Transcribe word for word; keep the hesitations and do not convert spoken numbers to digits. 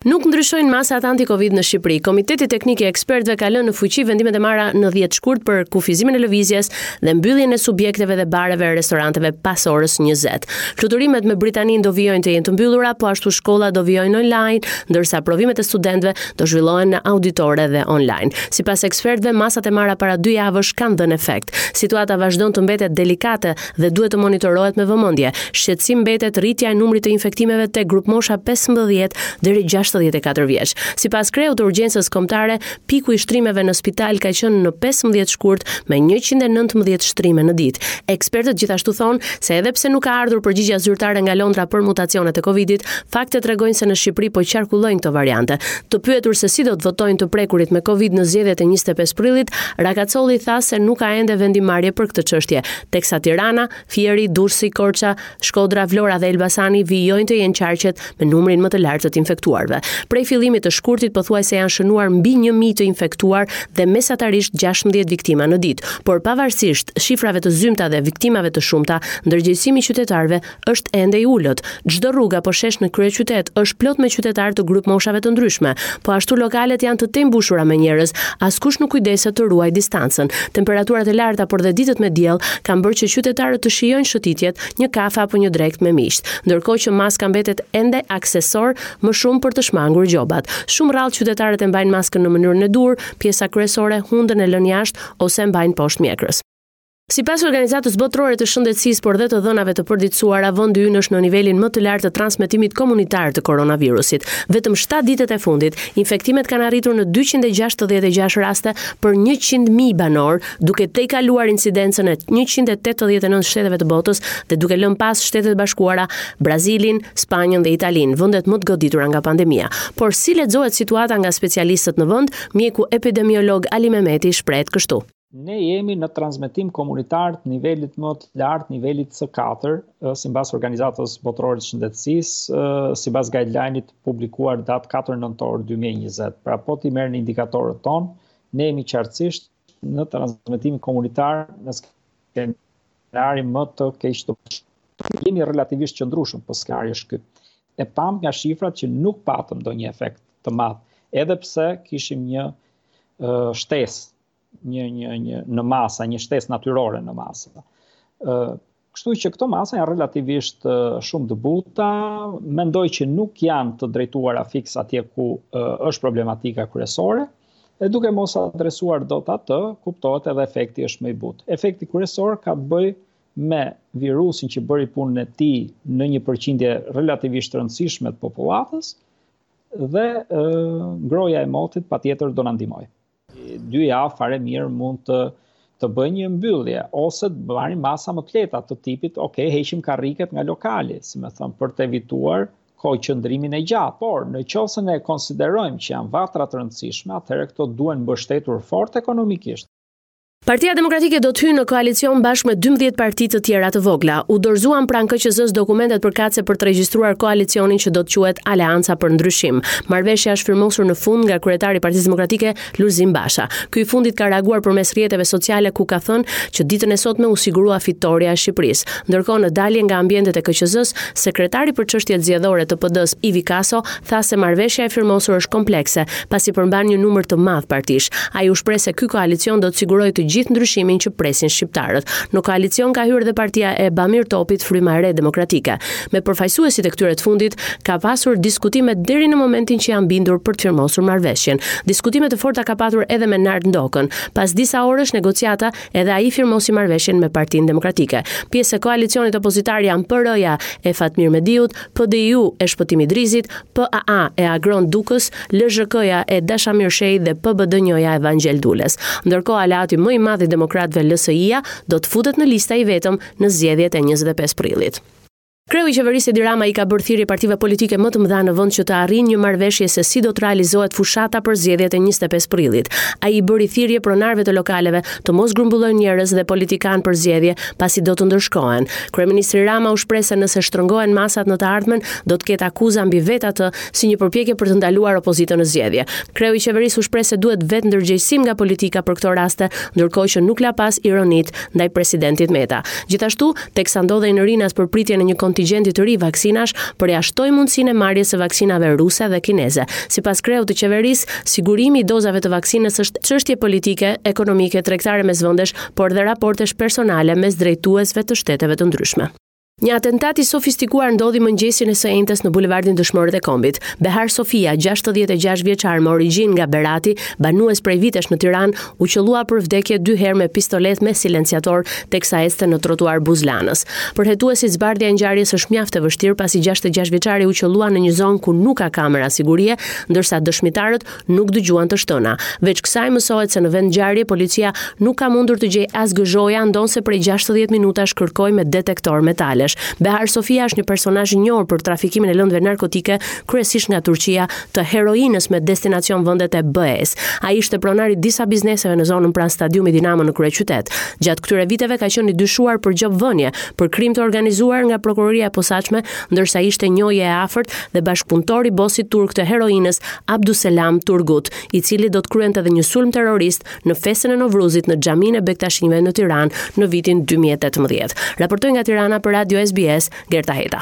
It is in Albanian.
Nuk ndryshojnë masat anti-Covid në Shqipëri. Komiteti Teknik i Ekspertëve ka lënë në fuqi vendimet e marra në dhjetë shkurt për kufizimin e lëvizjes dhe mbylljen e subjekteve dhe bareve e restoranteve pas orës njëzet. Fluturimet me Britaninë do vijojnë të jenë të mbyllura, po ashtu shkollat do vijojnë online, ndërsa provimet e studentëve do zhvillohen në auditore dhe online. Sipas ekspertëve, masat e marra para dy javësh kanë dhënë efekt. Situata vazhdon të mbetet delikate dhe duhet të monitorohet me vëmendje. Shqetësim mbetet rritja e numrit të infektimeve te grupmosha pesëmbëdhjetë deri gjashtëdhjetë e katër vjeç. Sipas kreut të urgjencës kombëtare, piku i shtrimeve në spital ka qenë në pesëmbëdhjetë shkurt me njëqind e nëntëmbëdhjetë shtrime në ditë. Ekspertët gjithashtu thonë se edhe pse nuk ka ardhur përgjigjja zyrtare nga Londra për mutacionet e Covidit, faktet tregojnë se në Shqipëri po qarkullojnë këto variante. Të pyetur se si do të votojnë të prekurit me Covid në zgjedhjet e njëzet e pesë prillit, Rakacolli tha se nuk ka ende vendimarrje për këtë çështje, teksa Tirana, Fieri, Durrësi, Korça, Shkodra, Vlora dhe Elbasani vijojnë të jenë qarqet me numrin më të lartë të të infektuarve. Prej fillimit të shkurtit pothuajse janë shënuar mbi një mijë të infektuar dhe mesatarisht gjashtëmbëdhjetë viktima në ditë. Por pavarësisht shifrave të zymta dhe viktimave të shumta, ndërgjegjësimi i qytetarëve është ende i ulët. Çdo rrugë apo shesh në kryeqytet është plot me qytetarë të grupmoshave të ndryshme. Po ashtu lokalet janë të tejmbushura me njerëz, askush nuk kujdeset të ruajë distancën. Temperaturat e larta por dhe ditët me diell kanë bërë që qytetarët të shijojnë shëtitjet, një kafe apo një drekë me miqt, ndërkohë që maska mbetet ende aksesor më shumë për të shmangur gjobat. Shumë rrallë qytetarët e mbajnë maskën në mënyrën e duhur, pjesa kryesore hundën e lënë jashtë ose e mbajnë poshtë mjekrës. Sipas Organizatës Botërore të Shëndetësisë, por dhe të dhënave të përditësuara, vendi ynë është në nivelin më të lartë të transmetimit komunitar të koronavirusit. Vetëm shtatë ditët e fundit, infektimet kanë arritur në dyqind e gjashtëdhjetë e gjashtë raste për njëqind mijë banor, duke tejkaluar incidencën e njëqind e tetëdhjetë e nëntë shteteve të botës dhe duke lënë pas Shtetet e Bashkuara, Brazilin, Spanjën dhe Italinë, vendet më të goditura nga pandemia. Por si lexohet situata nga specialistët në vend, mjeku epidemiolog Ali Mehmeti shprehet kështu. Ne jemi në transmetim komunitar të nivelit më të lartë, nivelit C katër, ë, sipas Organizatës Botërore të Shëndetësisë, ë, sipas guideline-it publikuar datë katër nëntor dy mijë e njëzet. Pra po t'i merrni indikatorët tonë, ne jemi qartësisht në transmetimin komunitar në skenarin më të keq të mundshëm. Jemi relativisht qëndrueshëm, po skenari është ky. E pam nga shifrat që nuk patëm ndonjë efekt të madh, edhe pse kishim një, ë, shtesë, një, një, një në masa, një shtesë natyrore në masa. Ë, kështu që këto masa janë relativisht, ë, shumë të buta, mendoj që nuk janë të drejtuara fiks atje ku, ë, është problematika kryesore, e duke mos adresuar dot atë, kuptohet edhe efekti është më i butë. Efekti kryesor ka të bëjë me virusin që bëri punën e tij në një përqindje relativisht të rëndësishme të popullatës dhe, ë, ngrohja e motit patjetër do na ndihmojë. Dy javë fare mirë mund të, të bëjnë një mbyllje ose të marrin masa më të lehta të tipit, ok, heqim karriket nga lokali, si më thënë, për të evituar kohë qëndrimin e gjatë. Por në qoftë se ne konsiderojmë që janë vatra të rëndësishme, atëherë këto duhen mbështetur fort ekonomikisht. Partia Demokratike do të hyjë në koalicion bashkë me dymbëdhjetë parti të tjera të vogla. U dorëzuan pranë K Q Z-s dokumentet përkatëse për të regjistruar koalicionin që do të quhet Aleanca për Ndryshim. Marrëveshja është firmosur në fund nga kryetari i Partisë Demokratike, Lulzim Basha. Ky i fundit ka reaguar përmes rrjeteve sociale ku ka thënë që ditën e sotme u sigurua fitorja e Shqipërisë. Ndërkohë, në dalje nga ambientet e K Q Z-s, sekretari për çështjet zgjedhore të P D-s, Ivi Kaso, tha se marrëveshja e firmosur është komplekse, pasi përmban një numër të madh partish. Ai u shpreh se ky koalicion do të sigurojë të gjithë ndryshimin që presin shqiptarët. Në koalicion ka hyrë dhe partia e Bamir Topit, Fryma e Re Demokratike. Me përfaqësuesit e këtyre të fundit ka pasur diskutime deri në momentin që janë bindur për të firmosur marrëveshjen. Diskutime të forta ka patur edhe me Nard Ndokën. Pas disa orësh negociata, edhe ai firmosi marrëveshjen me Partinë Demokratike. Pjesë e koalicionit opozitar janë P R-ja e Fatmir Mediut, P D I U e Shpëtim Idrizit, P A A e Agron Dukës, L Zh K-ja e Dashamir Shehit dhe P B D Njoja e Vangjel Dules. Ndërkohë, aleati më i madh i demokratëve L S I-ja do të futet në lista i vetëm në zgjedhjet e njëzet e pesë prillit. Kreu i qeverisë Edi Rama i ka bërë thirrje partive politike më të mëdha në vend që të arrijnë një marrëveshje se si do të realizohet fushata për zgjedhjet e njëzet e pesë prillit. Ai i bëri thirrje pronarëve të lokaleve të mos grumbullojnë njerëz dhe politikan për zgjedhje, pasi do të ndërshkohen. Kryeministri Rama u shpreh se nëse shtrëngohen masat në të ardhmen, do të ketë akuza mbi vetë atë si një përpjekje për të ndaluar opozitën në zgjedhje. Kreu i qeverisë u shpreh se duhet vetë ndërgjegjësim nga politika për këto raste, ndërkohë që nuk la pas ironit ndaj presidentit Meta. Gjithashtu, teksa ndodhej në Rinas për pritjen e një kontingenti kontingjenti të ri vaksinash përjashtoi mundësinë e marrjes së vaksinave ruse dhe kineze. Sipas kreut të qeverisë, sigurimi i dozave të vaksinës është çështje politike, ekonomike, tregtare mes vendesh, por dhe raportesh personale mes drejtuesve të shteteve të ndryshme. Një atentat i sofistikuar ndodhi mëngjesin e së enjtes në bulevardin Dëshmorët e Kombit. Behar Sofia, gjashtëdhjetë e gjashtë vjeçar me origjinë nga Berati, banues prej vitesh në Tiranë, u qëllua për vdekje dy herë me pistoletë me silenciator teksa ecte në trotuar buzë Lanës. Për hetuesit, zbardhja e ngjarjes është mjaft e vështirë pasi gjashtëdhjetë e gjashtë vjeçari u qëllua në një zonë ku nuk ka kamera sigurie, ndërsa dëshmitarët nuk dëgjuan të shtëna. Veç kësaj mësohet se në vend ngjarje policia nuk ka mundur të gjejë as gëzhoja, ndonëse prej gjashtëdhjetë minutash kërkoi me detektor metalesh. Behar Sofia është një personazh i njohur për trafikimin e lëndëve narkotike, kryesisht nga Turqia, të heroinës me destinacion vendet e B E-s. Ai ishte pronar i disa bizneseve në zonën pranë stadiumit Dinamo në kryeqytet. Gjatë këtyre viteve ka qenë i dyshuar për gjobvënie, për krim të organizuar nga prokuroria e posaçme, ndërsa ishte njohje e afërt dhe bashkëpunëtor i bosit turk të heroinës Abduselam Turgut, i cili do të kryente edhe një sulm terrorist në festën e Novruzit në xhaminë e Bektashinjve në Tiranë në vitin dy mijë e tetëmbëdhjetë. Raportoi nga Tirana për Radio S B S, Gerta Heta.